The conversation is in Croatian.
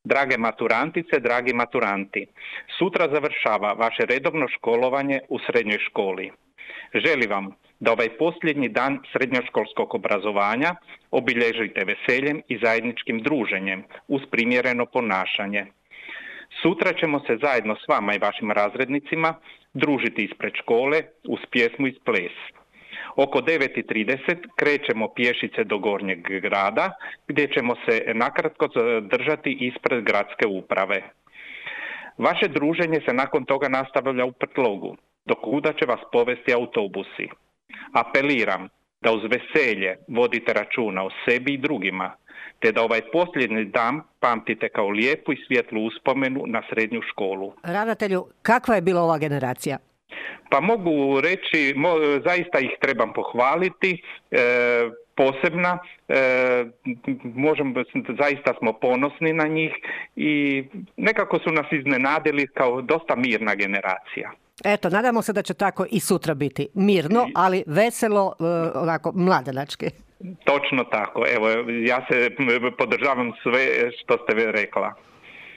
Drage maturantice, dragi maturanti, sutra završava vaše redovno školovanje u srednjoj školi. Želim vam da ovaj posljednji dan srednjoškolskog obrazovanja obilježite veseljem i zajedničkim druženjem uz primjereno ponašanje. Sutra ćemo se zajedno s vama i vašim razrednicima družiti ispred škole uz pjesmu i ples. Oko 9:30 krećemo pješice do Gornjeg grada, gdje ćemo se nakratko zadržati ispred gradske uprave. Vaše druženje se nakon toga nastavlja u Prtlogu, do kuda će vas povesti autobusi. Apeliram da uz veselje vodite računa o sebi i drugima, te da ovaj posljednji dan pamtite kao lijepu i svjetlu uspomenu na srednju školu. Ravnatelju, kakva je bila ova generacija? Pa mogu reći, zaista ih trebam pohvaliti, posebna, zaista smo ponosni na njih i nekako su nas iznenadili kao dosta mirna generacija. Eto, nadamo se da će tako i sutra biti. Mirno, ali veselo, onako, mladenački. Točno tako. Evo, ja se podržavam sve što ste rekla.